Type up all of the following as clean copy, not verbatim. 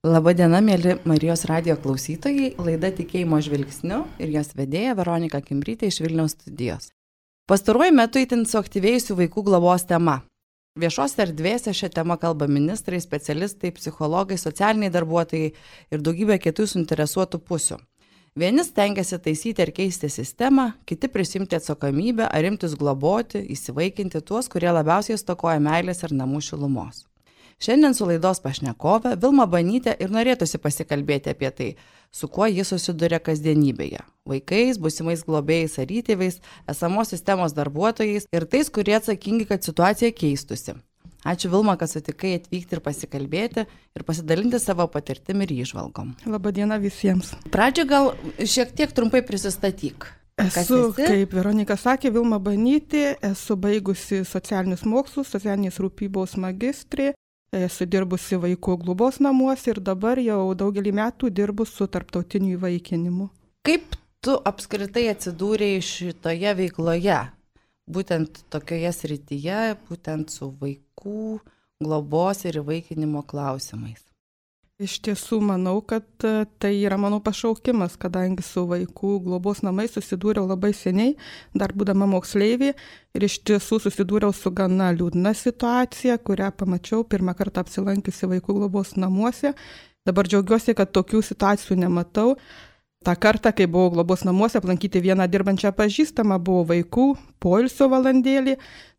Labadiena, mėly Marijos radijo klausytojai, laida Tikėjimo žvilgsniu ir jos vedėja Veronika Kimbrytė iš Vilniaus studijos. Pastaruoju metu itin suaktyvėjusių vaikų globos tema. Viešos erdvėse šią temą kalba ministrai, specialistai, psichologai, socialiniai darbuotojai ir daugybė kitų suinteresuotų pusių. Vieni stengiasi taisyti ir keisti sistemą, kiti prisimti atsakomybę ar imtis globoti, įsivaikinti tuos, kurie labiausiai stokoja meilės ir namų šilumos. Šiandien su laidos pašnekove Vilma Banytė ir norėtųsi pasikalbėti apie tai, su kuo ji susiduria kasdienybėje – vaikais, būsimais globėjais ar įtėviais, esamos sistemos darbuotojais ir tais, kurie atsakingi, kad situacija keistusi. Ačiū Vilma, kad sutikai atvykti ir pasikalbėti ir pasidalinti savo patirtimi ir įžvalgom. Labadiena visiems. Pradžią gal šiek tiek trumpai prisistatyk. Esu, kaip Veronika sakė, Vilma Banytė, esu baigusi socialinius mokslus, socialinės rūpybos magistrė, esu dirbusi vaikų globos namuose ir dabar jau daugelį metų dirbu su tarptautiniu įvaikinimu. Kaip tu apskritai atsidūrei šitoje veikloje? Būtent tokioje srityje, būtent su vaikų globos ir įvaikinimo klausimais. Iš tiesų manau, kad tai yra mano pašaukimas, kadangi su vaikų globos namais susidūriau labai seniai, dar būdama moksleivė, ir iš tiesų susidūriau su gana liūdna situacija, kurią pamačiau pirmą kartą apsilankiusi vaikų globos namuose. Dabar džiaugiuosi, kad tokių situacijų nematau. Ta kartą, kai buvau globos namuose, aplankyti vieną dirbančią pažįstamą, buvo vaikų poilsio valandėlį,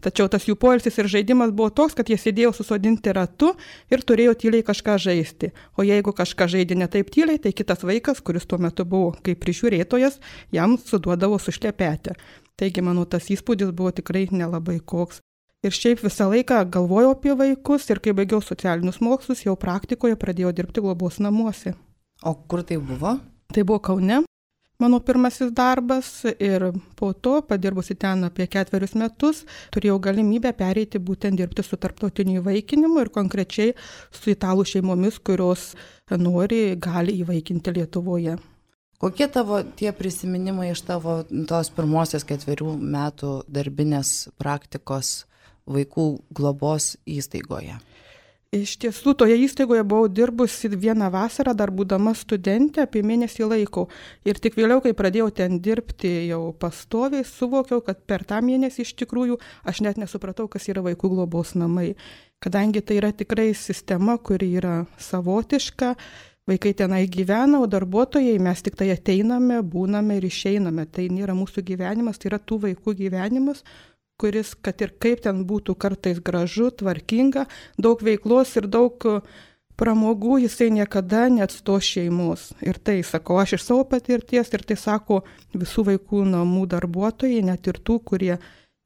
tačiau tas jų poilsis ir žaidimas buvo toks, kad jie sėdėjo susodinti ratu ir turėjo tyliai kažką žaisti. O jeigu kažką žaidė ne taip tyliai, tai kitas vaikas, kuris tuo metu buvo kaip prižiūrėtojas, jam suduodavo sušlepetę. Taigi, mano tas įspūdis buvo tikrai nelabai koks. Ir šiaip visą laiką galvojau apie vaikus ir kai baigiau socialinius mokslus, jau praktikoje pradėjau dirbti globos namuose. O kur tai buvo? Tai buvo Kaune, mano pirmasis darbas ir po to, padirbusi ten apie 4 metus, turėjau galimybę pereiti būtent dirbti su tarptautiniu įvaikinimu ir konkrečiai su italų šeimomis, kurios gali įvaikinti Lietuvoje. Kokie tavo tie prisiminimai iš tavo tos pirmosios 4 metų darbinės praktikos vaikų globos įstaigoje? Iš tiesų, toje įstaigoje buvau dirbusi vieną vasarą, dar būdama studentė, apie mėnesį laiko. Ir tik vėliau, kai pradėjau ten dirbti jau pastoviai, suvokiau, kad per tą mėnesį iš tikrųjų aš net nesupratau, kas yra vaikų globos namai. Kadangi tai yra tikrai sistema, kuri yra savotiška, vaikai tenai gyvena, o darbuotojai mes tik tai ateiname, būname ir išeiname. Tai nėra mūsų gyvenimas, tai yra tų vaikų gyvenimas, kuris, kad ir kaip ten būtų kartais gražu, tvarkinga, daug veiklos ir daug pramogų, jisai niekada neatstos šeimos. Ir tai sakau aš iš savo patirties ir tai sako visų vaikų namų darbuotojai, net ir tų, kurie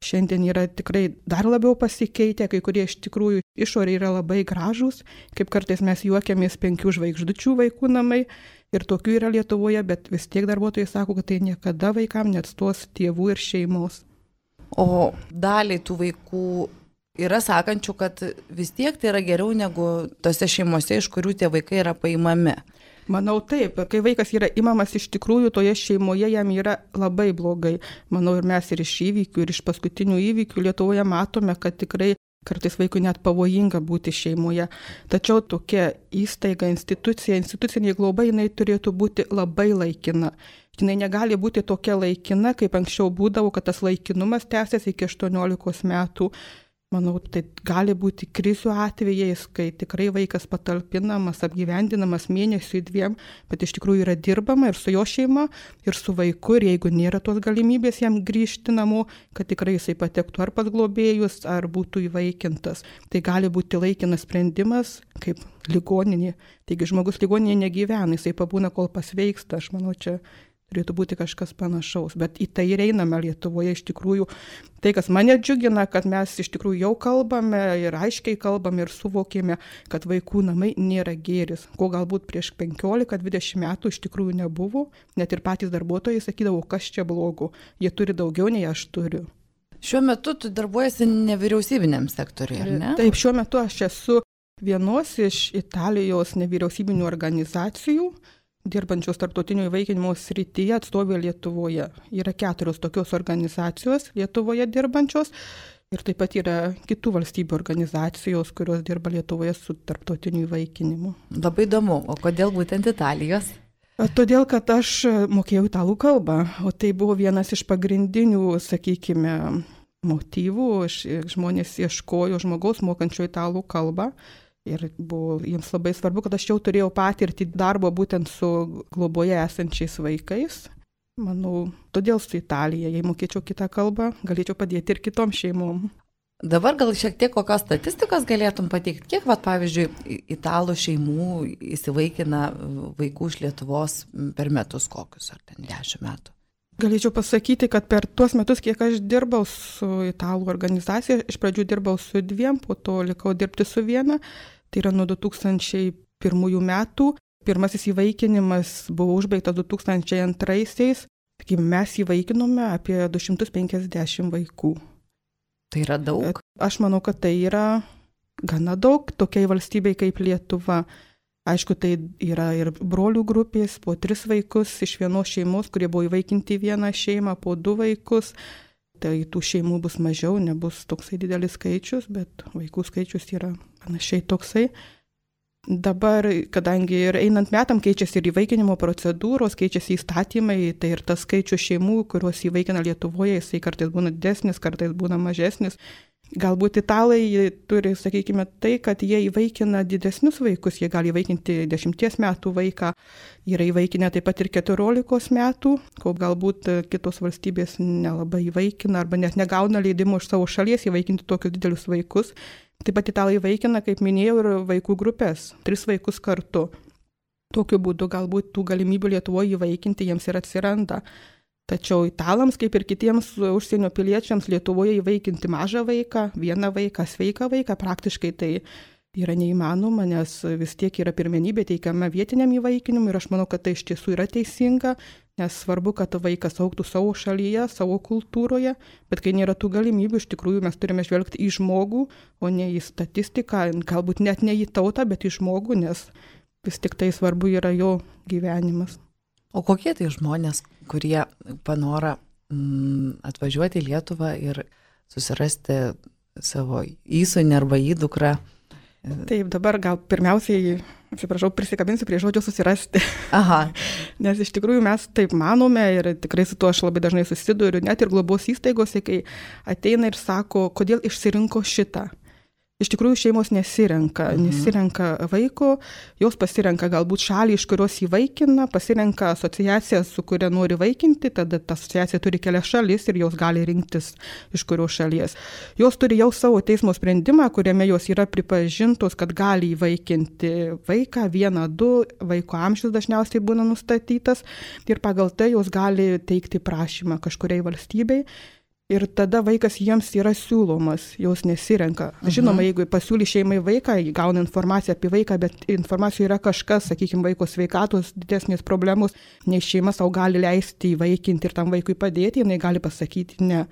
šiandien yra tikrai dar labiau pasikeitę, kai kurie iš tikrųjų išorė yra labai gražūs, kaip kartais mes juokiamės 5 žvaigždučių vaikų namai ir tokių yra Lietuvoje, bet vis tiek darbuotojai sako, kad tai niekada vaikam neatstos tėvų ir šeimos. O daliai tų vaikų yra sakančių, kad vis tiek tai yra geriau negu tose šeimose, iš kurių tie vaikai yra paimami. Manau taip, kai vaikas yra imamas iš tikrųjų, toje šeimoje jam yra labai blogai. Manau ir mes ir iš įvykių, ir iš paskutinių įvykių Lietuvoje matome, kad tikrai kartais vaikui net pavojinga būti šeimoje. Tačiau tokia įstaiga, institucinė globa, jinai turėtų būti labai laikina. Jinai negali būti tokia laikina, kaip anksčiau būdavo, kad tas laikinumas tęsiasi iki 18 metų. Manau, tai gali būti krizių atvejais, kai tikrai vaikas patalpinamas, apgyvendinamas mėnesiui 2, bet iš tikrųjų yra dirbama ir su jo šeima, ir su vaiku, ir jeigu nėra tos galimybės jam grįžti namo, kad tikrai jisai patektų ar pas globėjus, ar būtų įvaikintas. Tai gali būti laikinas sprendimas, kaip ligoninė. Taigi žmogus ligoninėje negyvena, jisai pabūna, kol pasveiksta. Aš manau, čia turėtų būti kažkas panašaus, bet į tai ir einame Lietuvoje iš tikrųjų. Tai, kas mane džiugina, kad mes iš tikrųjų jau kalbame ir aiškiai kalbame ir suvokėme, kad vaikų namai nėra gėris, ko galbūt prieš 15-20 metų iš tikrųjų nebuvo. Net ir patys darbuotojai sakydavo, kas čia blogo, jie turi daugiau nei aš turiu. Šiuo metu tu darbuojasi nevyriausybiniam sektoriui, ar ne? Taip, šiuo metu aš esu vienos iš Italijos nevyriausybinių organizacijų, dirbančios tarptautinio įvaikinimo srityje atstovė Lietuvoje. Yra 4 tokios organizacijos Lietuvoje dirbančios. Ir taip pat yra kitų valstybių organizacijos, kurios dirba Lietuvoje su tarptautiniu įvaikinimu. Labai įdomu, o kodėl būtent Italijos? Todėl, kad aš mokėjau italų kalbą, o tai buvo vienas iš pagrindinių, sakykime, motyvų. Žmonės ieškojo žmogaus mokančio italų kalbą ir buvo jiems labai svarbu, kad aš jau turėjau patirtį darbo būtent su globoje esančiais vaikais. Manau, todėl su Italija, jei mokėčiau kitą kalbą, galėčiau padėti ir kitom šeimom. Dabar gal šiek tiek kokios statistikos galėtum pateikti, kiek, pavyzdžiui, italų šeimų įsivaikina vaikų iš Lietuvos per metus kokius, ar ten 10 metų? Galėčiau pasakyti, kad per tuos metus, kiek aš dirbau su italų organizacija, iš pradžių dirbau su 2, po to likau dirbti su 1, tai yra nuo 2001 metų. Pirmasis įvaikinimas buvo užbaigtas 2002-aisiais, mes įvaikinome apie 250 vaikų. Tai yra daug? Aš manau, kad tai yra gana daug tokiai valstybei kaip Lietuva. Aišku, tai yra ir brolių grupės, po 3 vaikus iš vienos šeimos, kurie buvo įvaikinti vieną šeimą, po 2 vaikus. Tai tų šeimų bus mažiau, nebus toksai didelis skaičius, bet vaikų skaičius yra panašiai toksai. Dabar, kadangi ir einant metam keičiasi ir įvaikinimo procedūros, keičiasi įstatymai, tai ir tas skaičius šeimų, kuriuos įvaikina Lietuvoje, jisai kartais būna didesnis, kartais būna mažesnis. Galbūt italai turi, sakykime, tai, kad jie įvaikina didesnius vaikus, jie gali įvaikinti 10 metų vaiką, yra įvaikinę taip pat ir 14 metų, ko galbūt kitos valstybės nelabai įvaikina arba net negauna leidimo iš savo šalies įvaikinti tokius didelius vaikus. Taip pat italai įvaikina, kaip minėjau, ir vaikų grupės, 3 vaikus kartu. Tokiu būdu galbūt tų galimybių Lietuvoje įvaikinti jiems ir atsiranda. Tačiau italams, kaip ir kitiems užsienio piliečiams, Lietuvoje įvaikinti mažą vaiką, vieną vaiką, sveiką vaiką, praktiškai tai yra neįmanoma, nes vis tiek yra pirmenybė teikiama vietiniam įvaikinimui ir aš manau, kad tai iš tiesų yra teisinga, nes svarbu, kad vaikas augtų savo šalyje, savo kultūroje, bet kai nėra tų galimybių, iš tikrųjų mes turime žvelgti į žmogų, o ne į statistiką, galbūt net ne į tautą, bet į žmogų, nes vis tik tai svarbu yra jo gyvenimas. O kokie tai žmonės, kurie panora atvažiuoti į Lietuvą ir susirasti savo įsūnį arba įdukrą? Taip, dabar gal pirmiausiai, atsiprašau, prisikabinsiu prie žodžio susirasti. Aha. Nes iš tikrųjų mes taip manome ir tikrai su tuo aš labai dažnai susiduriu, net ir globos įstaigose, kai ateina ir sako, kodėl išsirinko šitą. Iš tikrųjų šeimos nesirenka vaiko, jos pasirenka galbūt šalį, iš kurios įvaikina, pasirenka asociaciją, su kuria nori vaikinti, tada ta asociacija turi kelias šalis ir jos gali rinktis iš kurios šalies. Jos turi jau savo teismo sprendimą, kuriame jos yra pripažintos, kad gali įvaikinti vaiką, 1-2, vaiko amžius dažniausiai būna nustatytas ir pagal tai jos gali teikti prašymą kažkuriai valstybei. Ir tada vaikas jiems yra siūlomas, jos nesirenka. Žinoma, jeigu pasiūly šeimai vaiką, gauna informaciją apie vaiką, bet informacijoje yra kažkas, sakykime, vaiko sveikatos didesnės problemos, nei šeima savo gali leisti įvaikinti ir tam vaikui padėti, jinai gali pasakyti ne.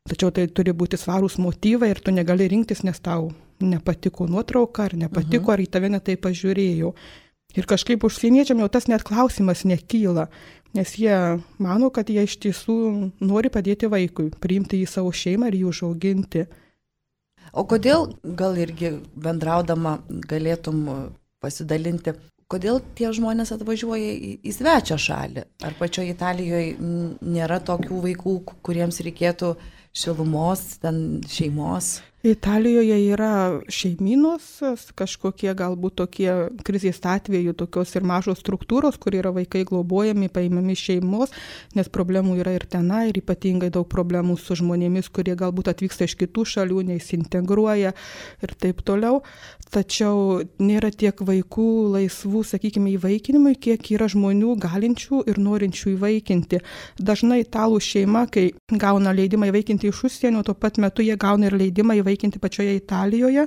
Tačiau tai turi būti svarūs motyvai ir tu negali rinktis, nes tau nepatiko nuotrauka, ar nepatiko, ar į tave netai pažiūrėjau. Ir kažkaip užsieniečiam jau tas net klausimas nekyla, nes jie mano, kad jie iš tiesų nori padėti vaikui, priimti į savo šeimą ir jį užauginti. O kodėl, gal irgi bendraudama galėtum pasidalinti, kodėl tie žmonės atvažiuoja į svečią šalį? Ar pačioje Italijoje nėra tokių vaikų, kuriems reikėtų šilumos, ten šeimos? Italijoje yra šeimynos, kažkokie galbūt tokie krizės atveju, tokios ir mažos struktūros, kur yra vaikai globojami, paimami šeimos, nes problemų yra ir tenai, ir ypatingai daug problemų su žmonėmis, kurie galbūt atvyksta iš kitų šalių, neįsintegruoja ir taip toliau. Tačiau nėra tiek vaikų laisvų, sakykime, įvaikinimui, kiek yra žmonių galinčių ir norinčių įvaikinti. Dažnai italų šeima, kai gauna leidimą įvaikinti iš užsienio, tuo pat metu jie gauna ir leidimą įvaikinti pačioje Italijoje.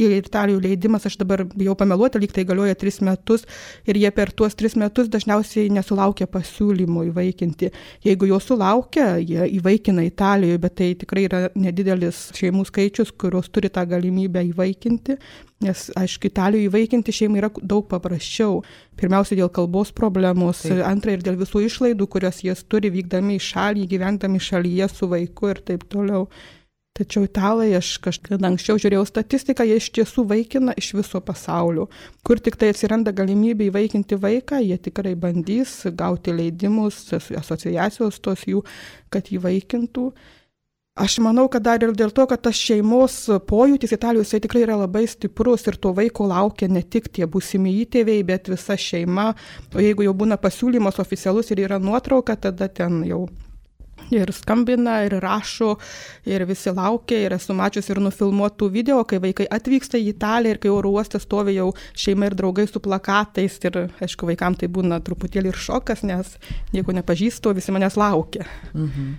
Ir Italijų leidimas, aš dabar bijau pameluoti, lyg tai galioja 3 metus ir jie per tuos 3 metus dažniausiai nesulaukia pasiūlymų įvaikinti. Jeigu jo sulaukia, jie įvaikina Italijoje, bet tai tikrai yra nedidelis šeimų skaičius, kurios turi tą galimybę įvaikinti. Nes, aišku, Italijoje įvaikinti šeimai yra daug paprasčiau. Pirmiausia, dėl kalbos problemos, antra ir dėl visų išlaidų, kurias jas turi vykdami į šalį, gyvendami šalyje su vaiku ir taip toliau. Tačiau italai, aš kažkada anksčiau žiūrėjau statistiką, jie iš tiesų vaikina iš viso pasaulio. Kur tik tai atsiranda galimybė įvaikinti vaiką, jie tikrai bandys gauti leidimus, asociacijos tos jų, kad įvaikintų. Aš manau, kad dar ir dėl to, kad tas šeimos pojūtis Italijoje jisai tikrai yra labai stiprus ir to vaiko laukia ne tik tie būsimi įtėviai, bet visa šeima. O jeigu jau būna pasiūlymas oficialus ir yra nuotrauka, tada ten jau ir skambina, ir rašo, ir visi laukia, ir esu mačius ir nufilmuotų video, kai vaikai atvyksta į Italiją ir kai oro uoste stovi jau šeima ir draugai su plakatais ir, aišku, vaikams tai būna truputėlį ir šokas, nes nieko nepažįstu, visi manęs laukia. Mhm.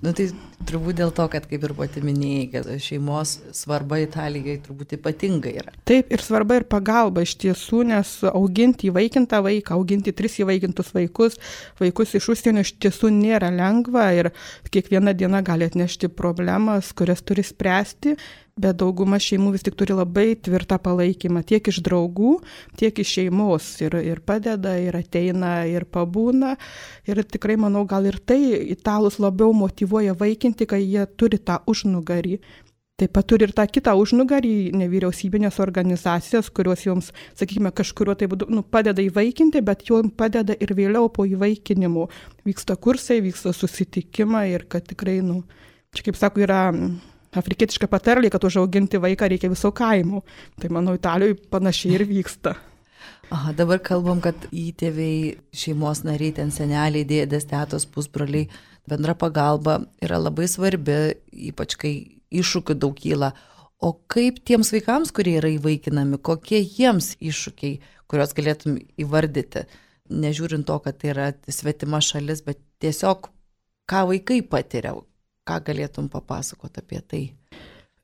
Tai turbūt dėl to, kad kaip ir pati minėjai, kad šeimos svarba Italijai turbūt ypatinga yra. Taip, ir svarba ir pagalba iš tiesų, nes auginti įvaikintą vaiką, auginti 3 įvaikintus vaikus iš užsienio iš tiesų nėra lengva ir kiekviena diena gali atnešti problemas, kurias turi spręsti, bet dauguma šeimų vis tik turi labai tvirtą palaikymą tiek iš draugų, tiek iš šeimos ir padeda, ir ateina, ir pabūna. Ir tikrai manau, gal ir tai italus labiau motyvuoja vaikinti, kai jie turi tą užnugarį. Taip pat turi ir tą kitą užnugarį, nevyriausybinės organizacijas, kurios joms, sakykime, kažkurio tai būdu padeda įvaikinti, bet joms padeda ir vėliau po įvaikinimo. Vyksta kursai, vyksta susitikimai ir kad tikrai, čia kaip sako, yra afrikietiška patarlė, kad užauginti vaiką reikia viso kaimo. Tai manau, Italijoje panašiai ir vyksta. Aha, dabar kalbam, kad įtėviai, šeimos nariai, ten seneliai, dėdės, tetos, pusbroliai, bendra pagalba yra labai svarbi, ypač kai iššūkių daug kyla. O kaip tiems vaikams, kurie yra įvaikinami, kokie jiems iššūkiai, kuriuos galėtum įvardyti, nežiūrint to, kad tai yra svetima šalis, bet tiesiog ką vaikai patiria, ką galėtum papasakoti apie tai?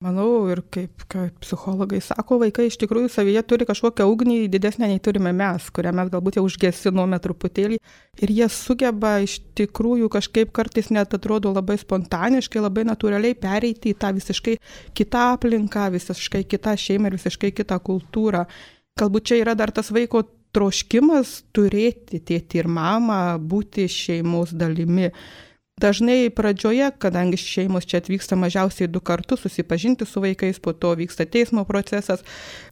Manau, ir kaip psichologai sako, vaikai iš tikrųjų savyje turi kažkokią ugnį didesnę nei turime mes, kurią mes galbūt jau užgesinome truputėlį. Ir jie sugeba iš tikrųjų kažkaip kartais net atrodo labai spontaniškai, labai natūraliai pereiti į tą visiškai kitą aplinką, visiškai kitą šeimą ir visiškai kitą kultūrą. Galbūt čia yra dar tas vaiko troškimas turėti tėtį ir mamą, būti šeimos dalimi. Dažnai pradžioje, kadangi šeimos čia atvyksta mažiausiai 2 kartus susipažinti su vaikais, po to vyksta teismo procesas,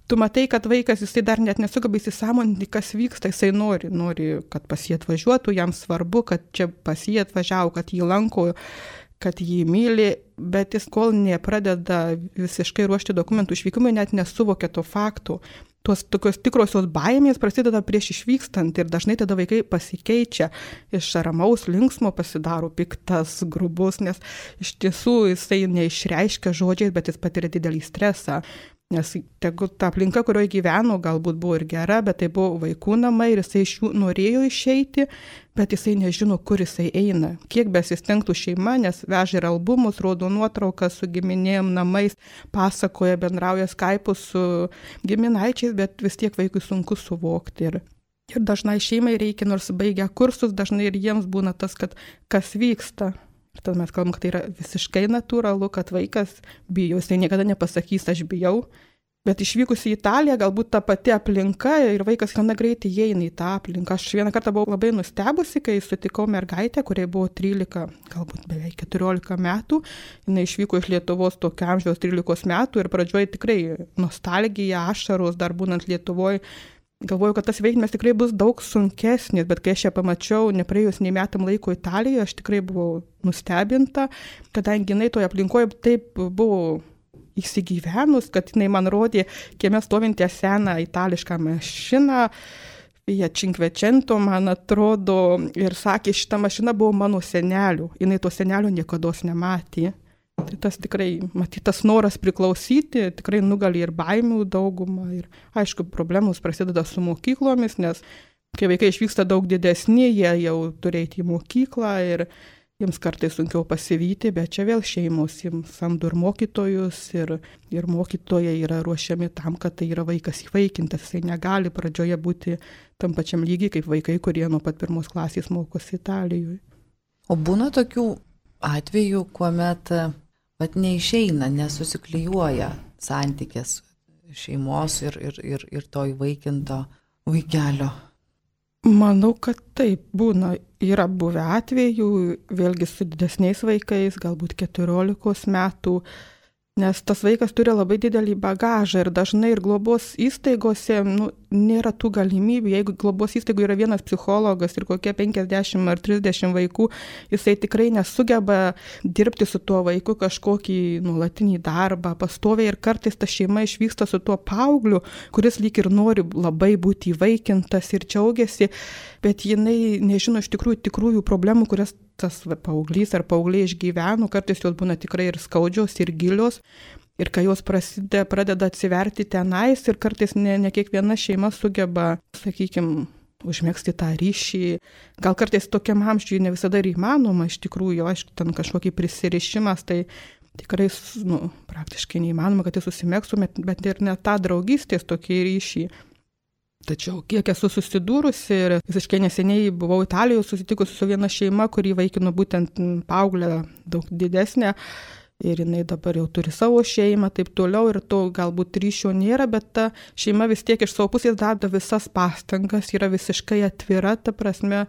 tu matai, kad vaikas jisai dar net nesugeba įsisąmoninti, kas vyksta, jisai nori, kad pas jį atvažiuotų, jam svarbu, kad čia pas jį atvažiavo, kad jį lanko, kad jį myli, bet jis kol nepradeda visiškai ruošti dokumentų išvykimui, net nesuvokia to faktų. Tos tokios tikrosios baimės prasideda prieš išvykstant ir dažnai tada vaikai pasikeičia, iš ramaus linksmo pasidaro piktas, grubus, nes iš tiesų jisai neišreiškia žodžiais, bet jis patiria didelį stresą. Nes ta aplinka, kurioje gyveno, galbūt buvo ir gera, bet tai buvo vaikų namai ir jisai iš jų norėjo išeiti, bet jisai nežino, kur jisai eina. Kiek besistengtų šeima, nes veža ir albumus, rodo nuotraukas su giminėm, namais, pasakoja, bendrauja Skype'u su giminaičiais, bet vis tiek vaikui sunku suvokti. Ir dažnai šeimai reikia, nors baigia kursus, dažnai ir jiems būna tas, kad kas vyksta. Ir tada mes kalbam, kad tai yra visiškai natūralu, kad vaikas bijo, jisai niekada nepasakys, aš bijau. Bet išvykus į Italiją, galbūt ta pati aplinka ir vaikas gana greitai įeina į tą aplinką. Aš vieną kartą buvau labai nustebusi, kai sutikau mergaitę, kuriai buvo 13, galbūt beveik 14 metų. Jis išvyko iš Lietuvos tokio amžiaus 13 metų ir pradžioje tikrai nostalgija, ašaros, dar būnant Lietuvoje. Galvoju, kad tas veiksmas tikrai bus daug sunkesnis, bet kai aš ją pamačiau, nepraėjus nei metam laiko Italijoje, aš tikrai buvau nustebinta, kadangi jinai toje aplinkoje taip buvo įsigyvenus, kad jinai man rodė kieme stovintį seną itališką mašiną, Fiat 500, man atrodo, ir sakė, šita mašina buvo mano senelių, jinai to senelio niekados nematė. Tai tas tikrai, matytas noras priklausyti, tikrai nugali ir baimių daugumą. Ir aišku, problemos prasideda su mokyklomis, nes kai vaikai išvyksta daug didesni, jie jau turėti į mokyklą ir jiems kartais sunkiau pasivyti, bet čia vėl šeimos jiems samdo ir mokytojus ir mokytojai yra ruošiami tam, kad tai yra vaikas įvaikintas. Jisai negali pradžioje būti tam pačiam lygiai kaip vaikai, kurie nuo pat 1 klasės mokosi Italijoje. O būna tokių atvejų, kuomet neišeina, nesusiklijuoja santykis šeimos ir to įvaikinto vaikelio? Manau, kad taip būna. Yra buvę atvejų, vėlgi su didesniais vaikais, galbūt 14 metų, nes tas vaikas turi labai didelį bagažą ir dažnai ir globos įstaigose nėra tų galimybių. Jeigu globos įstaigoje yra vienas psichologas ir kokie 50 ar 30 vaikų, jisai tikrai nesugeba dirbti su tuo vaiku kažkokį nuolatinį darbą, pastoviai, ir kartais ta šeima išvyksta su tuo paaugliu, kuris lyg ir nori labai būti įvaikintas ir džiaugiasi, bet jinai nežino iš tikrųjų problemų, kurias tas paauglys ar paaugliai išgyveno, kartais jos būna tikrai ir skaudžios, ir gilios. Ir kai jos pradeda atsiverti tenais, ir kartais ne kiekviena šeima sugeba, sakykime, užmegzti tą ryšį. Gal kartais tokiam amžiui ne visada ir įmanoma, iš tikrųjų, aišku, ten kažkokį prisirišimas, tai tikrai praktiškai neįmanoma, kad jis susimegztų, bet ir net tą draugystės tokį ryšį. Tačiau kiek esu susidūrusi ir visiškai neseniai buvau Italijoje susitikusi su viena šeima, kuri įvaikino būtent paauglę daug didesnę, ir jinai dabar jau turi savo šeimą, taip toliau, ir to galbūt ryšio nėra, bet ta šeima vis tiek iš savo pusės deda visas pastangas, yra visiškai atvira, ta prasme,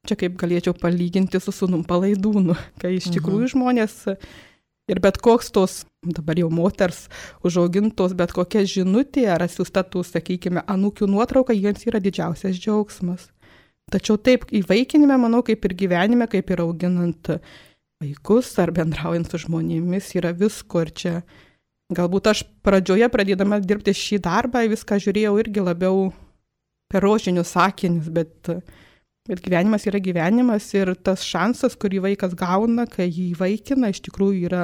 čia kaip galėčiau palyginti su sūnum Palaidūnu, kai iš tikrųjų žmonės ir bet koks tos, dabar jau moters užaugintos, bet kokia žinutė ar atsiųsta tų, sakykime, anūkių nuotrauka, jiems yra didžiausias džiaugsmas. Tačiau taip įvaikinime, manau, kaip ir gyvenime, kaip ir auginant vaikus ar bendraujant su žmonėmis, yra visko. Ir čia galbūt aš pradžioje, pradėdama dirbti šį darbą, viską žiūrėjau irgi labiau per rožinius sakinius, bet gyvenimas yra gyvenimas, ir tas šansas, kurį vaikas gauna, kai jį įvaikina, iš tikrųjų yra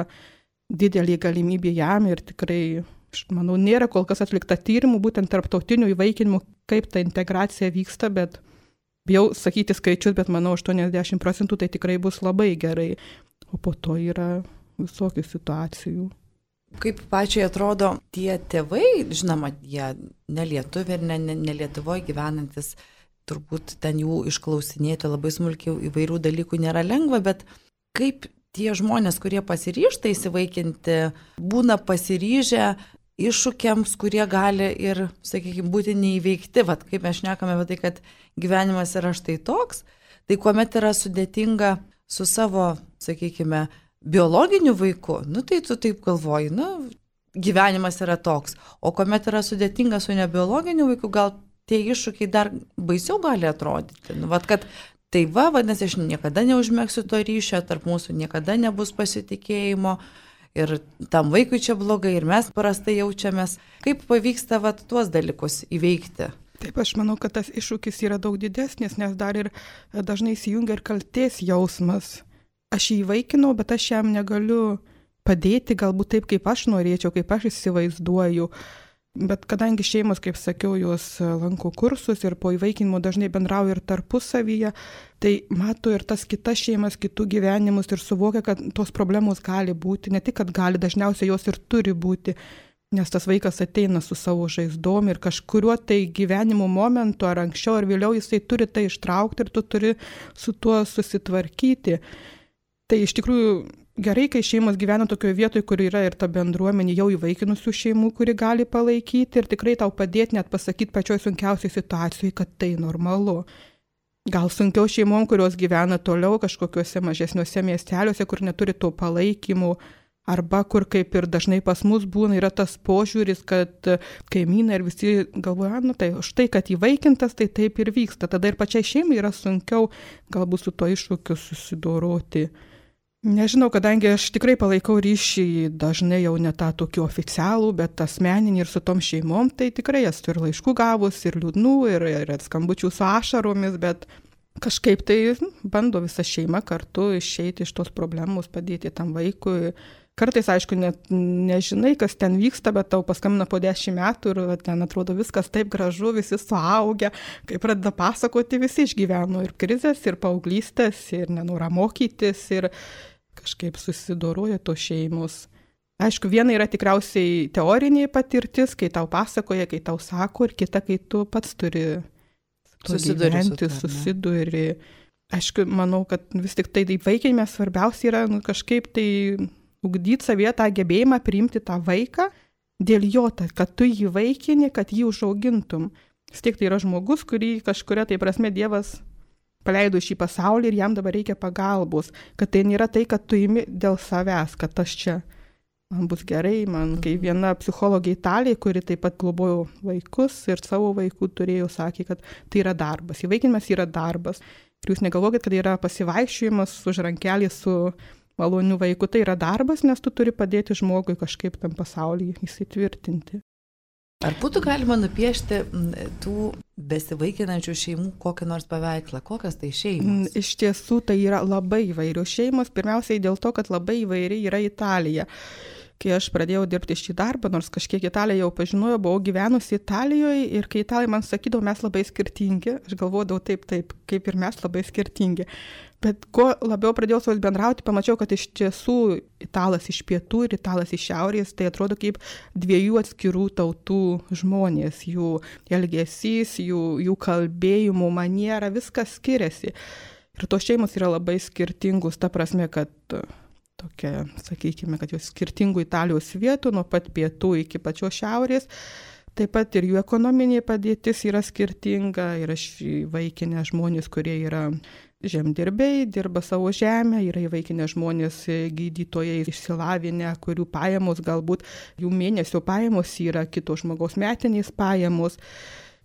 didelė galimybė jam, ir tikrai, aš manau, nėra kol kas atlikta tyrimų, būtent tarptautinių įvaikinimų, kaip ta integracija vyksta, bet bijau sakyti skaičius, bet manau 80% tai tikrai bus labai gerai, o po to yra visokių situacijų. Kaip pačiai atrodo tie tėvai, žinoma, jie nelietuviai ir nelietuvoje gyvenantis, turbūt ten jų išklausinėti labai smulkiai įvairių dalykų nėra lengva, bet kaip tie žmonės, kurie pasiryžta įsivaikinti, būna pasiryžę iššūkiams, kurie gali ir, sakykime, būti neįveikti. Vat kaip mes šnekame apie tai, kad gyvenimas yra štai toks, tai kuomet yra sudėtinga su savo, sakykime, biologiniu vaiku, tai tu taip galvoji, gyvenimas yra toks, o kuomet yra sudėtinga su nebiologiniu vaiku, gal tie iššūkiai dar baisiau gali atrodyti. Kad tai vadinasi, aš niekada neužmegsiu to ryšio, tarp mūsų niekada nebus pasitikėjimo ir tam vaikui čia blogai ir mes prastai jaučiamės. Kaip pavyksta tuos dalykus įveikti? Taip, aš manau, kad tas iššūkis yra daug didesnis, nes dar ir dažnai įsijungia ir kaltės jausmas. Aš jį įvaikinau, bet aš jam negaliu padėti galbūt taip, kaip aš norėčiau, kaip aš įsivaizduoju. Bet kadangi šeimos, kaip sakiau, jos lanko kursus ir po įvaikinimo dažnai bendrauja ir tarpusavyje, tai mato ir tas kitas šeimas, kitų gyvenimus ir suvokia, kad tos problemos gali būti, ne tik, kad gali, dažniausiai jos ir turi būti, nes tas vaikas ateina su savo žaizdom ir kažkuriuo tai gyvenimo momentu ar anksčiau ar vėliau jisai turi tai ištraukti ir tu turi su tuo susitvarkyti. Tai iš tikrųjų gerai, kai šeimos gyvena tokioje vietoje, kur yra ir ta bendruomenė jau įvaikinusių šeimų, kuri gali palaikyti ir tikrai tau padėti net pasakyti pačioj sunkiausiai situacijai, kad tai normalu. Gal sunkiau šeimom, kurios gyvena toliau kažkokiuose mažesniuose miesteliuose, kur neturi to palaikymų, arba kur kaip ir dažnai pas mus būna, yra tas požiūris, kad kaimynai ir visi galvoja, tai štai, kad įvaikintas, tai taip ir vyksta. Tada ir pačiai šeimai yra sunkiau galbūt su to iššūkiu susidoroti. Nežinau, kadangi aš tikrai palaikau ryšį dažnai jau ne tą tokį oficialų, bet asmeninį ir su tom šeimom, tai tikrai esu ir laiškų gavus, ir liūdnų, ir skambučių su ašaromis, bet kažkaip tai bando visa šeima kartu išeiti iš tos problemos, padėti tam vaikui. Kartais, aišku, net nežinai, kas ten vyksta, bet tau paskambina po 10 metų ir ten atrodo viskas taip gražu, visi suaugę, kai pradeda pasakoti, visi išgyveno ir krizės, ir paauglystės, ir nenorą mokytis, ir kažkaip susidoroja tos šeimos. Aišku, viena yra tikriausiai teorinė patirtis, kai tau pasakoja, kai tau sako, ir kita, kai tu pats turi susiduri. Aišku, manau, kad vis tik tai įvaikinime svarbiausia yra kažkaip tai ugdyti savyje tą gebėjimą priimti tą vaiką dėl jo, kad tu jį vaikini, kad jį užaugintum. Vis tiek tai yra žmogus, kurį kažkuria tai prasme Dievas paleido šį pasaulį ir jam dabar reikia pagalbos, kad tai nėra tai, kad tu imi dėl savęs, kad aš čia, man bus gerai, kai viena psichologė Italijai, kuri taip pat globojo vaikus ir savo vaikų turėjo, sakė, kad tai yra darbas, įvaikinimas yra darbas. Ir jūs negalvokit, kad yra pasivaikščiojimas už rankelį su maloniu vaiku, tai yra darbas, nes tu turi padėti žmogui kažkaip tam pasaulyje įsitvirtinti. Ar būtų galima nupiešti tų besivaikinančių šeimų kokį nors paveikslą? Kokios tai šeimos? Iš tiesų tai yra labai įvairios šeimos, pirmiausiai dėl to, kad labai įvairiai yra Italija. Kai aš pradėjau dirbti šį darbą, nors kažkiek Italiją jau pažinojau, buvau gyvenusi Italijoje ir kai Italai man sakydavo, mes labai skirtingi, aš galvodavau taip, kaip ir mes labai skirtingi. Bet kuo labiau pradėjau su jais bendrauti, pamačiau, kad iš tiesų Italas iš pietų ir Italas iš šiaurės, tai atrodo kaip dviejų atskirų tautų žmonės, jų elgesys, jų kalbėjimo maniera, viskas skiriasi. Ir tos šeimos yra labai skirtingos, ta prasme, kad tokia, sakykime, kad jos skirtingų Italijos vietų, nuo pat pietų iki pačios šiaurės. Taip pat ir jų ekonominė padėtis yra skirtinga. Yra įvaikinę žmonės, kurie yra žemdirbiai, dirba savo žemę, yra įvaikinę žmonės gydytojai išsilavinę, kurių pajamos galbūt, jų mėnesio pajamos yra kito žmogaus metinės pajamos.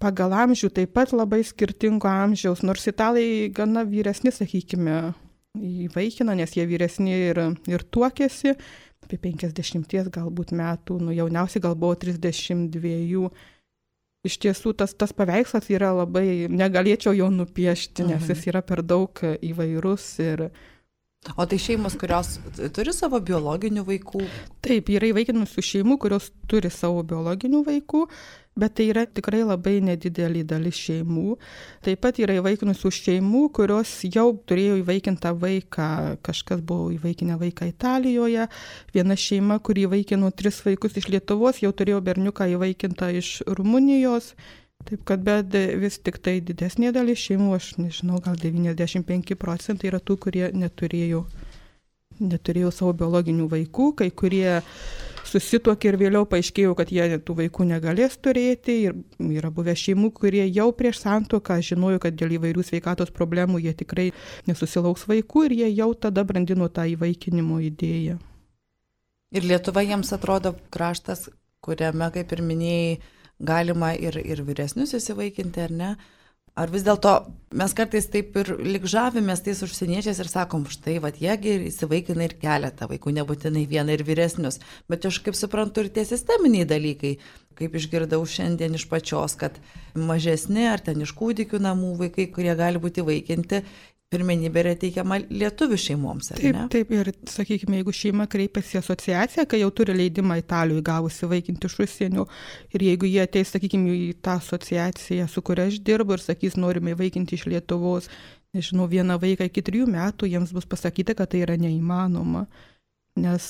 Pagal amžių taip pat labai skirtingo amžiaus, nors Italai gana vyresni, sakykime, įvaikina, nes jie vyresni ir tuokėsi, apie 50 galbūt metų, jauniausiai gal buvo 32. Iš tiesų tas paveikslas yra labai, negalėčiau jo nupiešti, nes jis yra per daug įvairus. O tai šeimos, kurios turi savo biologinių vaikų? Taip, yra įvaikinusių šeimų, kurios turi savo biologinių vaikų, bet tai yra tikrai labai nedidelė dalis šeimų. Taip pat yra įvaikinusių šeimų, kurios jau turėjo įvaikintą vaiką, kažkas buvo įvaikinę vaiką Italijoje. Viena šeima, kuri įvaikino 3 vaikus iš Lietuvos, jau turėjo berniuką įvaikintą iš Rumunijos. Taip kad, bet vis tik tai didesnė dalis šeimų, aš nežinau, gal 95% yra tų, kurie neturėjo savo biologinių vaikų, kai kurie susituokė ir vėliau paaiškėjo, kad jie tų vaikų negalės turėti. Ir yra buvę šeimų, kurie jau prieš santuoką žinojo, kad dėl įvairių sveikatos problemų jie tikrai nesusilauks vaikų ir jie jau tada brandino tą įvaikinimo idėją. Ir Lietuva jiems atrodo kraštas, kuriame, kaip ir minėjai, galima ir vyresnius įsivaikinti, ar ne? Ar vis dėlto mes kartais taip ir lyg žavimės tais užsieniečiais ir sakom, štai, jiegi įsivaikina ir keletą vaikų, nebūtinai vieną ir vyresnius. Bet aš kaip suprantu ir tie sisteminiai dalykai, kaip išgirdau šiandien iš pačios, kad mažesni ar ten iš kūdikių namų vaikai, kurie gali būti įvaikinti, pirmenybė yra teikiama lietuvių šeimoms, ar ne? Taip, ir sakykime, jeigu šeima kreipiasi į asociaciją, kai jau turi leidimą Italijoje gavusi įvaikinti iš užsienio, ir jeigu jie ateis, sakykime, į tą asociaciją, su kuria aš dirbu, ir sakys, norime įvaikinti iš Lietuvos, nežinau, vieną vaiką iki 3 metų, jiems bus pasakyta, kad tai yra neįmanoma. Nes